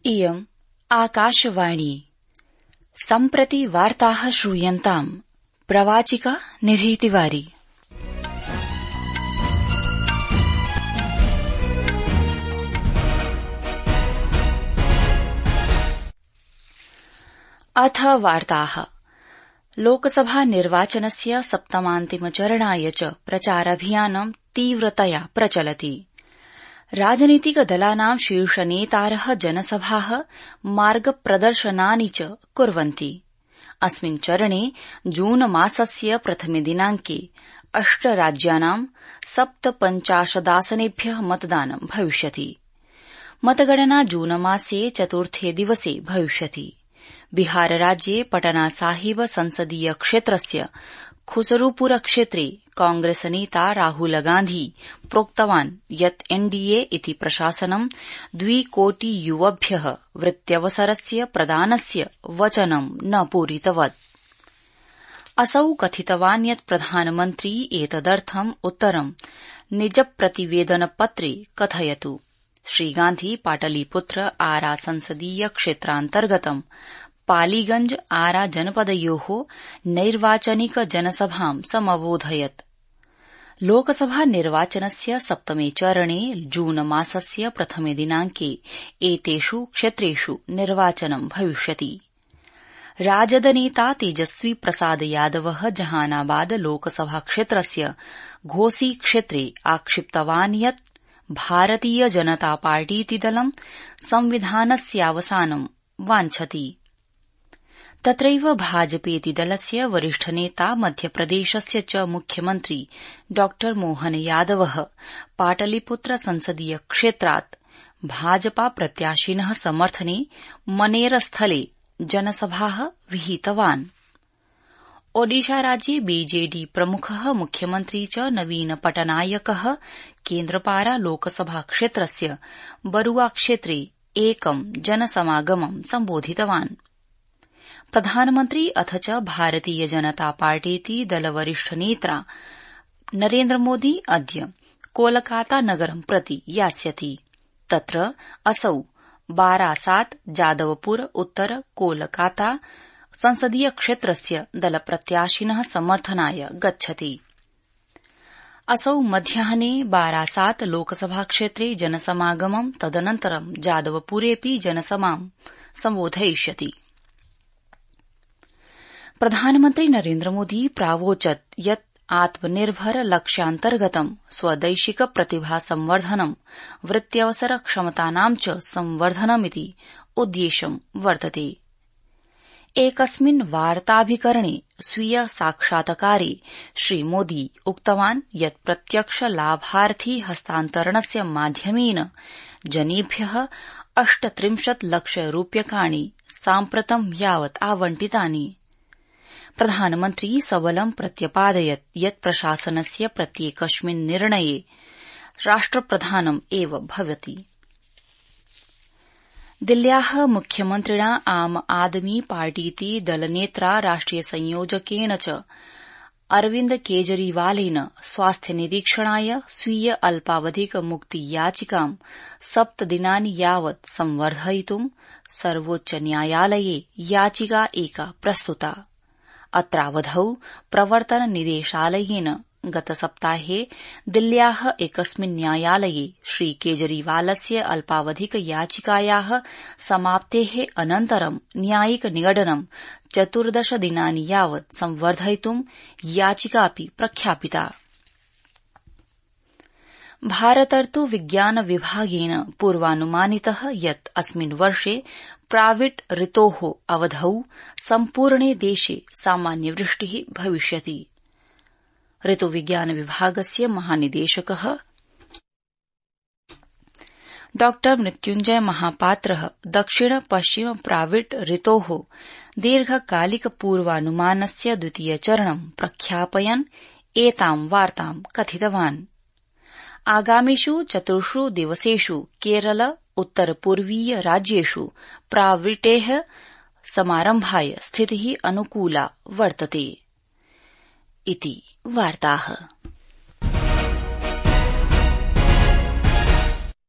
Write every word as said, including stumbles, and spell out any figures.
इयम् आकाशवाणी। सम्प्रति वार्ताः श्रूयन्ताम्। प्रवाचिका निधि तिवारी। अथ वार्ताः। लोकसभा निर्वाचनस्य सप्तमान्तिमचरणाय च प्रचाराभियानं तीव्रतया प्रचलति। राजनीतिकदलानां शीर्षनेतारः जनसभाः मार्गप्रदर्शनानि च कुर्वन्ति। अस्मिन् चरणे जूनमासस्य प्रथमे दिनाङ्के अष्ट राज्यानां सप्तपञ्चाशदासनेभ्यः मतदानं भविष्यति। मतगणना जूनमासे चतुर्थे दिवसे भविष्यति। बिहारराज्ये पटना साहिब संसदीय क्षेत्रस्य खुसरूपुर क्षेत्रे कांग्रेसनेता राहुलगान्धी प्रोक्तवान् यत् एनडीए इति प्रशासनं द्विकोटि युवभ्यः वृत्त्यवसरस्य प्रदानस्य वचनं न पूरितवत्। असौ कथितवान् यत् प्रधानमन्त्री एतदर्थम् उत्तरं निजप्रतिवेदनपत्रे कथयतु। श्रीगान्धी पाटलीपुत्र आरा संसदीय क्षेत्रान्तर्गतं पालीगंज आरा जनपदयोः नैर्वाचनिक जनसभां समबोधयत्। लोकसभा निर्वाचनस्य सप्तमे चरणे जून मासस्य प्रथमे दिनाङ्के एतेषु क्षेत्रेषु निर्वाचनं भविष्यति। राजदनेता तेजस्वी प्रसाद यादवः जहानाबाद लोकसभा क्षेत्रस्य घोसी क्षेत्रे आक्षिप्तवान् यत् भारतीय जनता पार्टीति दलं संविधानस्यावसानं वाञ्छति। तत्रैव भाजपेति दलस्य वरिष्ठनेता मध्यप्रदेशस्य च मुख्यमन्त्री डॉ मोहन यादवः पाटलीपुत्र संसदीय क्षेत्रात् भाजपा प्रत्याशिनः समर्थने मनेरस्थले जनसभाः विहितवान्। ओडिशाराज्ये बीजेडी प्रमुखः मुख्यमन्त्री च नवीन पटनायकः केन्द्रपारा लोकसभा क्षेत्रस्य बरुआ क्षेत्रे एकं जनसमागमं सम्बोधितवान्। प्रधानमन्त्री अथ च भारतीय जनता पार्टीति दलवरिष्ठनेता नरेन्द्रमोदी अद्य कोलकाता नगरं प्रति यास्यति। तत्र असौ बारासात जादवपुर उत्तर कोलकाता संसदीय क्षेत्रस्य दलप्रत्याशिनः समर्थनाय गच्छति। असौ मध्याह्ने बारासात लोकसभा क्षेत्रे जनसमागमं तदनन्तरं जादवपुरेऽपि जनसभां सम्बोधयिष्यति। प्रधानमन्त्री नरेन्द्रमोदी प्रावोचत् यत् आत्मनिर्भर लक्ष्यान्तर्गतं स्वदैशिक प्रतिभा संवर्धनं वृत्त्यवसर क्षमतानां च संवर्धनमिति उद्देश्यं वर्तते। एकस्मिन् वार्ताभिकरणे स्वीय साक्षात्कारे श्रीमोदी उक्तवान् यत् प्रत्यक्ष लाभार्थी हस्तान्तरणस्य माध्यमेन जनेभ्यः अष्टत्रिंशत् लक्ष रूप्यकाणि साम्प्रतं यावत् आवंटितानि। प्रधानमन्त्री सबलं प्रत्यपादयत् यत् प्रशासनस्य प्रत्येकस्मिन् निर्णये राष्ट्रप्रधानम् एव भवति। दिल्ल्याः मुख्यमन्त्रिणा आम आदमी पार्टीति दलनेत्रा राष्ट्रिय संयोजकेन च अरविन्द केजरीवालेन स्वास्थ्यनिरीक्षणाय स्वीय अल्पावधिक मुक्ति याचिकां सप्तदिनानि यावत् संवर्धयितुं सर्वोच्च न्यायालये याचिका एका प्रस्तुता। अत्रावधौ प्रवर्तन निदेशालयेन गतसप्ताहे दिल्ल्याः एकस्मिन् न्यायालये श्रीकेजरीवालस्य अल्पावधिक याचिकायाः समाप्तेः अनन्तरं न्यायिक निगडनं चतुर्दश दिनानि यावत् संवर्धयितुं याचिकापि प्रख्यापिता। भारतर्तु विज्ञान विभागेन पूर्वानुमानितः यत् अस्मिन् वर्षे प्राविट् ऋतोः अवधौ सम्पूर्णे देशे सामान्यवृष्टिः भविष्यति। ऋतुविज्ञान विभागस्य महानिदेशकः डॉ मृत्युञ्जय महापात्रः दक्षिण पश्चिम प्राविट् ऋतोः दीर्घकालिक पूर्वानुमानस्य द्वितीय चरणं प्रख्यापयन् एतां वार्तां कथितवान्। आगामिषु चतुर्षु दिवसेषु केरल उत्तरपूर्वीय राज्येषु प्राविटेः समारम्भाय स्थितिः अनुकूला वर्तते इति वार्ताः।